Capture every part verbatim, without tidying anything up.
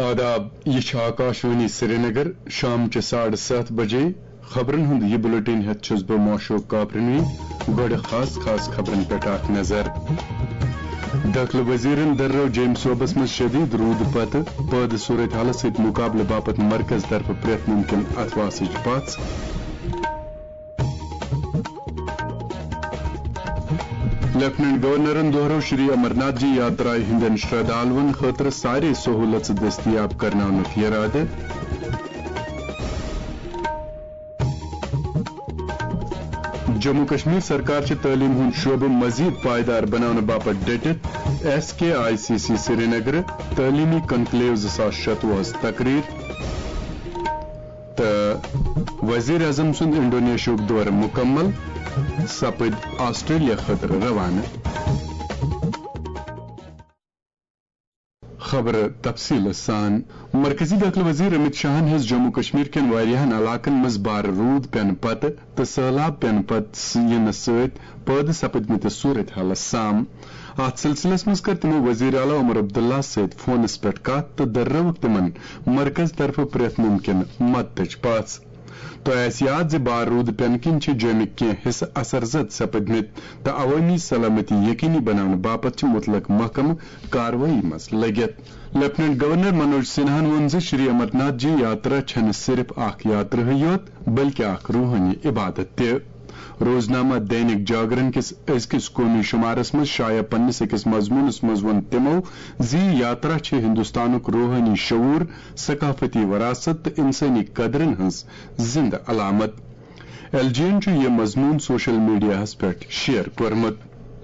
آداب، یہِ چھِ آکاشوانی سرینگر۔ شام چہِ ساڑٕ ستھ بجے خبرن ہُنٛد یہِ بُلٹن ہٮ۪تھ چھُس بہٕ معشوق کاپرنوی۔ گۄڈٕ خاص خاص خبرن پٮ۪ٹھ اکھ نظر۔ دٲخلہٕ وزیرن دٔررٲو جیٚمۍ صوبس منٛز شدید روٗدٕ پتہٕ پٲدٕ صورت حالس سۭتۍ مُقابلہٕ باپتھ مرکز طرفہٕ پرٛٮ۪تھ مُمکِن اتھواسٕچ پژھ۔ لیفٹیننٹ گورنرن دوہرٲو شری امرناتھ جی یاترایہِ ہٕنٛدٮ۪ن شردھالوَن خٲطرٕ سارے سہوٗلژٕ دٔستیاب کرناونُک یرادٕ۔ جموں کشمیر سرکار چھِ تعلیٖم ہُنٛد شعبہٕ مزید پائیدار بناونہٕ باپتھ ڈٔٹِتھ۔ S K I C C Srinagar تعلیٖمی کنکلیو زٕ ساس شتوُہس تقریر۔ تہٕ وزیر اعظم سُنٛد انڈونیشیاہُک دورٕ مُکمل، سپٕدۍ آسٹریلیا خٲطرٕ روانہٕ۔ خبرٕ تفصیٖلہٕ سان۔ مرکزی دٲخلہٕ وزیر امیت شاہن ہیٚژ جموں کشمیر کٮ۪ن واریاہن علاقن منٛز بارٕ روٗد پٮ۪نہٕ پتہٕ تہٕ سٔہلاب پٮ۪نہٕ پتہٕ س-، یِنہٕ سۭتۍ پٲدٕ سپدمٕتِس صورت حالس سام۔ اتھ سلسلس منٛز کٔر تِمو وزیر اعلیٰ عمر عبداللہ سۭتۍ فونس پٮ۪ٹھ کتھ تہٕ دٔررٲوٕکھ تِمن مرکز طرفہٕ پرٛٮ۪تھ مُمکِن مدتٕچ پژھ۔ تۄہہِ آسہِ یاد زِ بار روٗد پٮ۪نہٕ کِنۍ چھِ جوٚمِکۍ کینٛہہ حصہٕ اثر زد سپدمٕتۍ تہٕ عوٲمی سلامتی یقینی بناونہٕ باپتھ چھِ مُتلق محکمہٕ کاروٲیی منٛز لٔگِتھ۔ لیفٹیننٹ گورنر منوج سنہاہن ووٚن زِ شری امرناتھ جی یاترا چھنہٕ صرف اکھ یاترا یوت، بلکہ اکھ روحٲنی عبادت تہِ۔ روزنامہ دینک جاگرن کِس أزکِس قومی شمارس منٛز شایع پننِس أکِس مضموٗنس منٛز ووٚن تِمو زِ یاترا چھِ ہندوستانُک روحٲنی شعور، ثقافتی وراثت تہٕ انسٲنی قدرن ہٕنٛز زندٕ علامت۔ ایل جی یَن چھُ یہِ مضموٗن سوشل میڈیاہَس پٮ۪ٹھ شیئر کوٚرمُت۔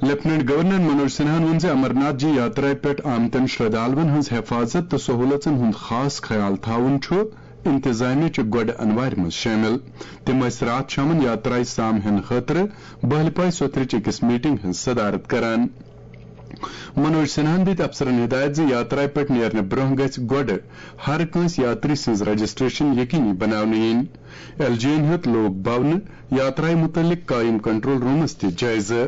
لیفٹیننٹ گورنر منوج سنہاہن ووٚن زِ امرناتھ جی یاترایہِ پٮ۪ٹھ آمتٮ۪ن شردھالوَن ہٕنٛز حفاظت تہٕ سہوٗلژن ہُنٛد خاص خیال تھاوُن چھُ انتظامیہ چہِ گۄڈٕ انوارِ منٛز شٲمِل۔ تِم ٲسۍ راتھ شامَن یاترایہِ سام ہٮ۪نہٕ خٲطرٕ بہلپاے سوتھرٕچ أکِس میٹنگ ہٕنٛز صدارت کران۔ منوج سنہاہن دِتۍ افسرن ہدایت زِ یاترایہِ پٮ۪ٹھ نیرنہٕ برونٛہہ گژھِ گۄڈٕ ہر کٲنٛسہِ یاتری سٕنٛز رجسٹریشن یقینی بناونہٕ یِنۍ۔ ایل جی یَن ہیوٚت لوک بھونہٕ یاترایہِ مُتعلق قٲیِم کنٹرول رومس تہِ جٲیزٕ۔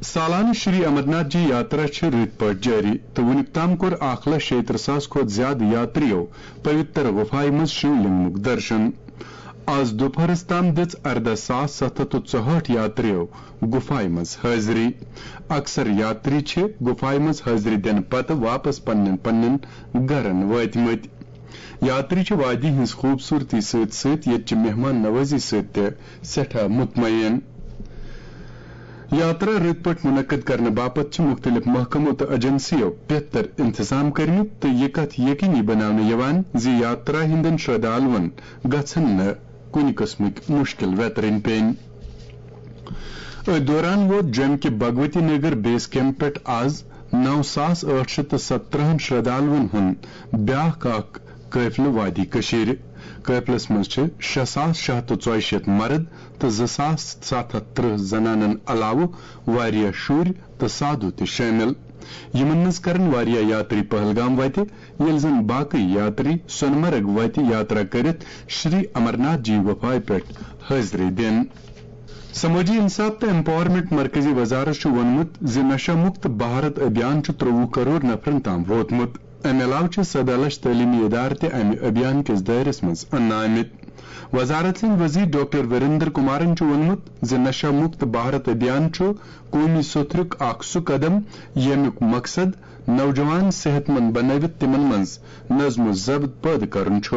سالانہٕ شری امرناتھ جی یاترا چھِ رٕتۍ پٲٹھۍ جٲری تہٕ وُنیُک تام کوٚر اکھ لچھ شیٚیہِ ترٕٛہ ساس کھۄتہٕ زِیٛادٕ یاترِیو پویتر غفایہِ منٛز شیو لنگمُک درشن۔ آز دُپہرس تام دِژ ارداہ ساس ستھ ہتھ تہٕ ژُہٲٹھ یاترِیو غفایہِ منٛز حٲضری۔ اکثر یاتری چھِ غفایہِ منٛز حٲضری دِنہٕ پتہٕ واپس پننٮ۪ن پننٮ۪ن گرن وٲتمٕتۍ۔ یاتری چھِ وادی ہٕنٛز خوٗبصوٗرتی سۭتۍ سۭتۍ ییٚتہِ چہِ مہمان نوازی سۭتۍ تہِ سٮ۪ٹھاہ مطمعین۔ یاترا رٕتۍ پٲٹھۍ منعقد کرنہٕ باپتھ چھِ مُختٔلِف محکمو تہٕ ایجنسیو بہتر انتظام کٔرمٕتۍ تہٕ یہِ کتھ یقینی بناونہٕ یِوان زِ یاترا ہٕنٛدٮ۪ن شردھالوَن گژھن نہٕ کُنہِ قٕسمٕکۍ مُشکِل ویترٕنۍ پیٚنۍ۔ أتھۍ دوران ووت جوٚمہِ کہِ بھگوتی نگر بیس کیمپ پٮ۪ٹھ آز نو ساس ٲٹھ شیٚتھ تہٕ ستترٕہن شردھالوَن ہُنٛد بیٛاکھ اکھ قٲفلہٕ وادی کٔشیٖرِ۔ قٲفلس منٛز چھِ شےٚ ساس شےٚ ہتھ تہٕ ژۄیہِ شیٖتھ مرد تہٕ زٕ ساس ستھ ہتھ ترٕٛہ زنانن علاوٕ واریاہ شُرۍ تہٕ سادھو تہِ شٲمِل۔ یِمن منٛز کرن واریاہ یاتری پہلگام وتہِ، ییٚلہِ زن باقٕے یاتری سۄنہٕ مرگ وتہِ یاترا کٔرِتھ شری امرناتھ جی غفایہِ پٮ۪ٹھ حٲضری دِن۔ سمٲجی انصاف تہٕ ایمپاورمنٹ مرکزی وزارت چھُ ووٚنمُت زِ نشہ مکت بھارت ابھیان چھُ ترٛۆوُہ کرور نفرن تام ووتمُت۔ امہِ علاوٕ چھِ سداہ لچھ تعلیمی ادارٕ تہِ امہِ ابھیان کِس دٲیرس منٛز اننہٕ آمٕتۍ۔ وزارت سٕنٛدۍ وزیر ڈاکٹر وریندر کمارن چھُ ووٚنمُت زِ نشہ مکت بھارت ابھیان چھُ قومی سوٚتھرُک اکھ سُہ قدم، ییٚمیُک مقصد نوجوان صحت مند بنٲوِتھ تِمن منٛز نظم و ضبط پٲدٕ کرُن چھُ۔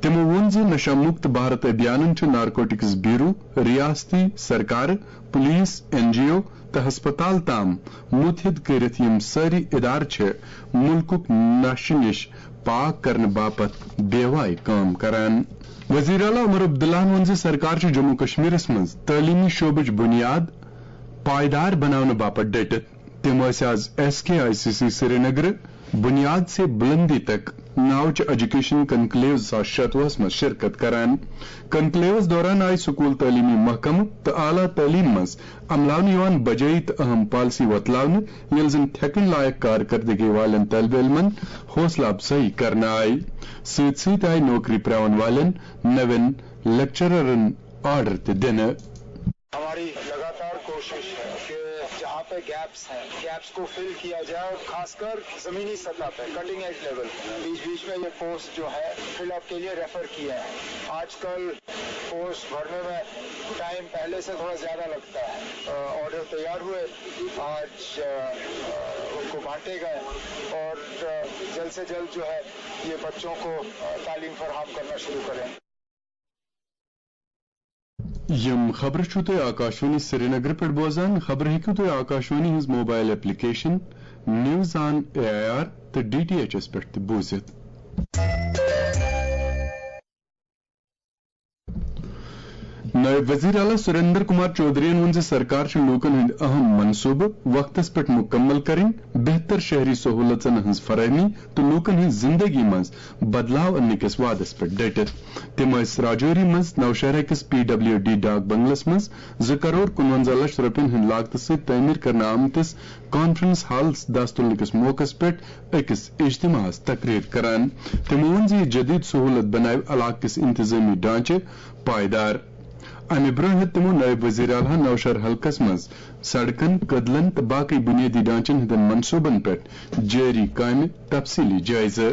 تِمو ووٚن زِ نشہ مکت بھارت ابھیانن چھُ نارکوٹکس بیورو، ریاستی سرکارٕ، پولیس، این جی او تہٕ ہسپتال تام متحد کٔرِتھ، یِم سٲری ادارٕ چھِ ملکُک نشہٕ نِش پاک کرنہٕ باپتھ بے وایہِ کٲم کران۔ وزیر اعلیٰ عمر عبداللہن ووٚن زِ سرکار چھِ جموں کشمیرس منٛز تعلیمی شعبٕچ بنیاد پائیدار بناونہٕ باپتھ ڈٔٹِتھ۔ تِم ٲسۍ آز S K I C C سرینگرٕ بنیاد سے بلندی تک ناوچہِ ایجوکیشن کنکلیو زٕ ساس شتوُہس منٛز شرکت کران۔ کنکلیوس دوران آیہِ سکول تعلیمی محکمہٕ تہٕ اعلیٰ تعلیٖم منٛز عملاونہٕ یِوان بجٲیی تہٕ اہم پالیسی وۄتلاونہٕ، ییٚلہِ زن تھٮ۪کٕنۍ لایق کارکردگی والٮ۪ن طٲلبہِ علمن حوصلہٕ افزٲیی کرنہٕ آیہِ۔ سۭتۍ سۭتۍ آیہِ نوکری پرٛاوَن والٮ۪ن نوٮ۪ن لیکچررن آرڈر تہِ دِنہٕ۔ ہماری لگاتار کوشش ہے کہ جہاں پہ گیپس ہیں، گیپس کو فل کیا جائے، اور خاص کر زمینی سطح پہ، کٹنگ ایج لیول، بیچ بیچ میں یہ پوسٹ جو ہے فل اپ کے لیے ریفر کیے ہیں۔ آج کل پوسٹ بھرنے میں ٹائم پہلے سے تھوڑا زیادہ لگتا ہے۔ آرڈر تیار ہوئے، آج ان کو بانٹے گئے، اور جلد سے جلد جو ہے یہ بچوں کو تعلیم فراہم کرنا شروع کریں۔ یم خبرٕ چھِو تُہۍ آکاشوانی سرینگرٕ پٮ۪ٹھ بوزان۔ خبرٕ ہیٚکِو تُہۍ آکاشوانی ہٕنٛز mobile application news on A I R تہٕ ڈی ٹی ایچ ایس پٮ۪ٹھ تہِ بوٗزِتھ۔ نٲیِب وزیر اعلیٰ سریندر کمار چودھرین ووٚن زِ سرکار چھِ لوٗکَن ہٕنٛدۍ اہم منصوٗبہٕ وقتَس پٮ۪ٹھ مُکمل کَرٕنۍ، بہتر شہری سہوٗلژن ہٕنٛز فراہمی تہٕ لوٗکَن ہٕنٛز زِنٛدگی منٛز بدلاو اننہٕ کِس وعدَس پٮ۪ٹھ ڈٔٹِتھ۔ تِم ٲسۍ راجوری منٛز نوشہرہ کِس پی ڈبلیو ڈی ڈاک بنگلس منٛز زٕ کرور کُنوَنزاہ لچھ رۄپین ہٕنٛدِ لاگتہٕ سۭتۍ تعمیٖر کرنہٕ آمتِس کانفرنس ہالس دستُلنہٕ کِس موقعس پٮ۪ٹھ أکِس اجتماعس تقریر کران۔ تِمو ووٚن زِ یہِ جدید سہولت بناوِ علاقہٕ کِس انتظامی ڈھانچہٕ پائیدار۔ امہِ برٛونٛہہ ہیوٚت تِمو نٲیِب وزیر اعلیٰ نوشہر حلقس منٛز سڑکن، کدلن تہٕ باقٕے بنیٲدی ڈھانچن ہٕنٛدٮ۪ن منصوبن پٮ۪ٹھ جٲری کامہِ تفصیٖلی جٲیزٕ۔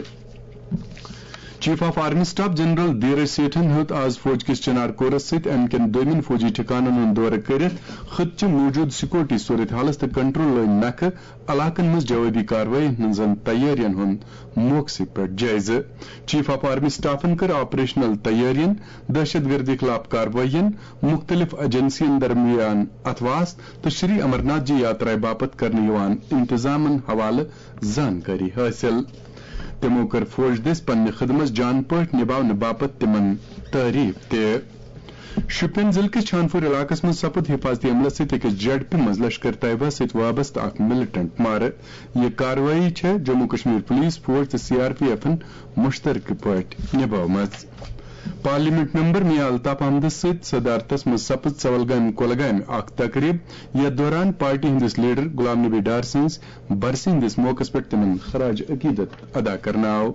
Chief of army staff general Dhiraj سیٹھن ہیوٚت آز فوج کِس چنار کورس سۭتۍ امہِ کٮ۪ن دوٚیمٮ۪ن فوجی ٹھکانن ہُنٛد دورٕ کٔرِتھ خطہٕ چہِ موٗجوٗدٕ سیکورٹی صورتحالس تہٕ کنٹرول لٲنۍ نکھٕ علاقن منٛز جوابی کاروٲیی ہٕنٛزن تیٲرین ہُنٛد موقعہٕ پٮ۪ٹھ جٲیزٕ۔ چیف آف آرمی سٹافن کٔر آپریشنل تیٲرین، دہشت گردی خلاف کاروٲیین، مُختٔلِف ایجنسین درمیان اتھواس تہٕ شری امرناتھ جی یاترا باپتھ کرنہٕ یِوان انتظامن حوالہٕ زانکٲری حٲصِل۔ تِمو کٔر فوج دٔسۍ پننہِ خدمژ جان پٲٹھۍ نباونہٕ باپتھ تِمن تعریف تہِ۔ شوپین ضلعہٕ کِس چھانپوٗر علاقس منٛز سپُد حفاظتی عملس سۭتۍ أکِس جیڈ پی منٛز لشکر طیبہ سۭتۍ وابستہٕ اکھ ملیٹنٹ مارٕ۔ یہِ کاروٲیی چھےٚ جموں کشمیر پولیس، فوج تہٕ سی آر پی ایفن مُشترکہٕ پٲٹھۍ نبٲومٕژ۔ پارلیمنٹ ممبر میاں الطاف احمدس سۭتۍ صدارتس منٛز سپٕز ژولگامہِ کۄلگامہِ اکھ تقریب، یتھ دوران پارٹی ہٕنٛدِس لیڈر غلام نبی ڈار سٕنٛز برسی ہٕنٛدِس موقعس پٮ۪ٹھ تِمن خراج عقیدت ادا کرنہٕ آو۔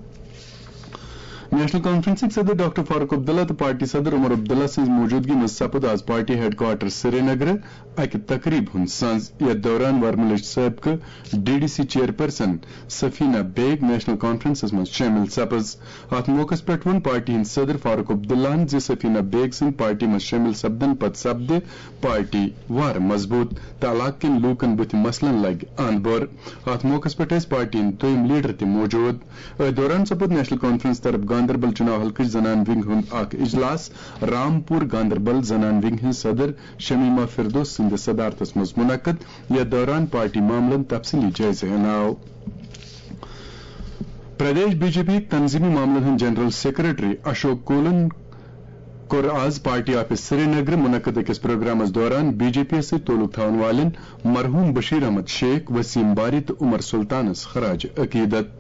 نیشنل کانفرنسٕکۍ صدر ڈاکٹر فاروق عبداللہ تہٕ پارٹی صدر عمر عبداللہ سٕنٛز موجودگی منٛز سپُد آز پارٹی ہیڈ کوارٹر سرینگرٕ اکہِ تقریب ہُنٛد سنز، یتھ دوران ورملٕچ سٲبقہٕ ڈی ڈی سی چیئرپرسن سفینہ بیگ نیشنل کانفرنسس منٛز شٲمِل سپٕز۔ اتھ موقعس پٮ۪ٹھ ووٚن پارٹی ہٕنٛدۍ صدر فاروق عبداللہن زِ سفینہ بیگ سٕنٛدۍ پارٹی منٛز شٲمِل سپدن پتہٕ سپدِ پارٹی وارٕ مضبوٗط تہٕ علاقہٕ کٮ۪ن لوٗکن بُتھِ مسلن لگہِ اند بور۔ اتھ موقعس پٮ۪ٹھ ٲسۍ پارٹی ہٕنٛدۍ دوٚیِم لیڈر تہِ موجود۔ أتھۍ دوران سپُد نیشنل کانفرنس طرف گاندربل چُناو حلقٕچ زنان ونگ ہُنٛد اکھ اجلاس۔ رامپور گاندربل زنان ونگ ہٕنٛز صدر شمیمہ فردوس سٕنٛدِس صدارتس منٛز منعقد، یتھ دوران پارٹی معاملن تفصیلی جٲیزٕ ہینہٕ آو۔ پردیش بی جے پی تنظیمی معاملن ہٕنٛدۍ جنرل سیکرٹری اشوک کولن کوٚر آز پارٹی آفس سرینگرٕ منعقد أکِس پروگرامس دوران بی جے پی یَس سۭتۍ تعلق تھاون والٮ۪ن مرحوم بشیر احمد شیخ، وسیم باری تہٕ عمر سلطانس خراج عقیدت۔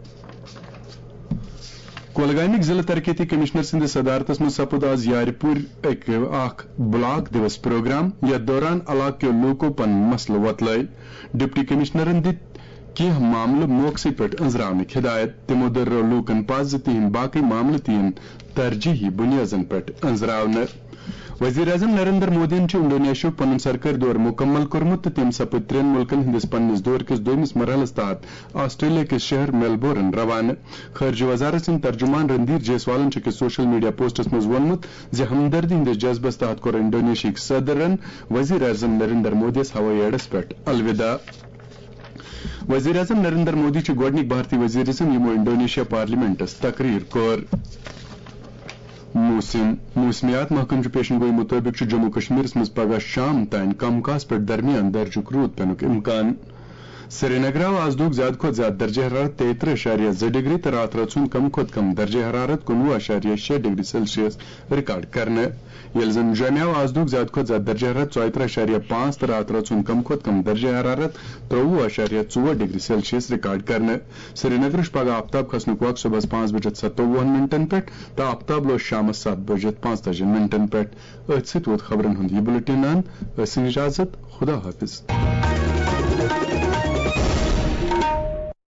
کۄلگامٕکۍ ضلع ترقیتی کمشنر سٕنٛدِس صدارتس منٛز سپُد آز یارِ پوٗرۍ اکھ بلاک دیوس پروگرام، یتھ دوران علاقہٕ کیو لوٗکو پنٕنۍ مسلہٕ وۄتلٲوۍ۔ ڈپٹی کمشنرن دِتۍ کینٛہہ معاملہٕ موقعسٕے پٮ۪ٹھ أنٛزراونٕکۍ ہدایت۔ تِمو دٔرٲو لوٗکن پزِ زِ تِہنٛدۍ باقٕے معاملہٕ تہِ یِن ترجیحی بُنیٲدن پٮ۪ٹھ أنٛزراونہٕ۔ وزیر اعظم نریندر مودیَن چھُ انڈونیشیاہُک پنُن سرکٲرۍ دورٕ مُکمل کوٚرمُت تہٕ تِم سپٕدۍ ترٛٮ۪ن مُلکَن ہٕنٛدِس پننِس دورٕ کِس دوٚیمِس مرحلَس تحت آسٹریلیا کِس شہر میلبورن روانہٕ۔ خارجہ وزارت سٕنٛدۍ ترجمان رندھیر جیسوالَن چھُ أکِس سوشل میڈیا پوسٹَس منٛز ووٚنمُت زِ ہمدردی ہٕنٛدِس جذبَس تحت کوٚر انڈونیشیاہٕکۍ صدرَن وزیر اعظم نریندر مودیَس ہوٲیی اڈَس پٮ۪ٹھ الوداع۔ وزیر اعظم نریندر مودی چھُ گۄڈٕنیُک بھارتی وزیر اعظم یِمو انڈونیشیا پارلیمنٹَس تقریر کوٚر۔ موسم۔ موسمیات محکمہٕ چہِ پیشن گویی مُطٲبِق چھُ جموں کشمیرس منٛز پگہہ شام تام کم کاس پٮ۪ٹھ درمیان درجُک روٗد پینُک امکان۔ سرینگرٕ آو آز دۄہُک زیادٕ کھۄتہٕ زیادٕ درجہ حرارت تیٚیہِ ترٕٛہ اعشاریہ زٕ ڈگری تہٕ راتھ رٲژ ہُنٛد کم کھۄتہٕ کم درجہ حرارت کُنوُہ اعشاریہ شےٚ ڈگری سیلسیس ریکارڈ کرنہٕ۔ ییٚلہِ زن جوٚمہِ آو آز دۄہُک زیادٕ کھۄتہٕ زیادٕ درجہ حرارت ژۄیہِ ترٕٛہ اعشاریہ پانٛژھ تہٕ راتھ رٲژ ہُنٛد کم کھۄتہٕ کم درجہ حرارت ترٛوٚوُہ اعشاریہ ژور ڈگری سیلسیس ریکارڈ کرنہٕ۔ سرینگرٕ چھُ پگہہ آفتاب کھسنُک وق صبحس پانٛژھ بجے ستووُہن منٹن پٮ۪ٹھ تہٕ آفتاب لوس شامس ستھ بجے پانٛژتٲجی منٹن پٮ۪ٹھ۔ أتھۍ سۭتۍ ووت خبرن ہُنٛد یہِ بُلٹن اند۔ ٲسِن اجازت، خدا حافظ۔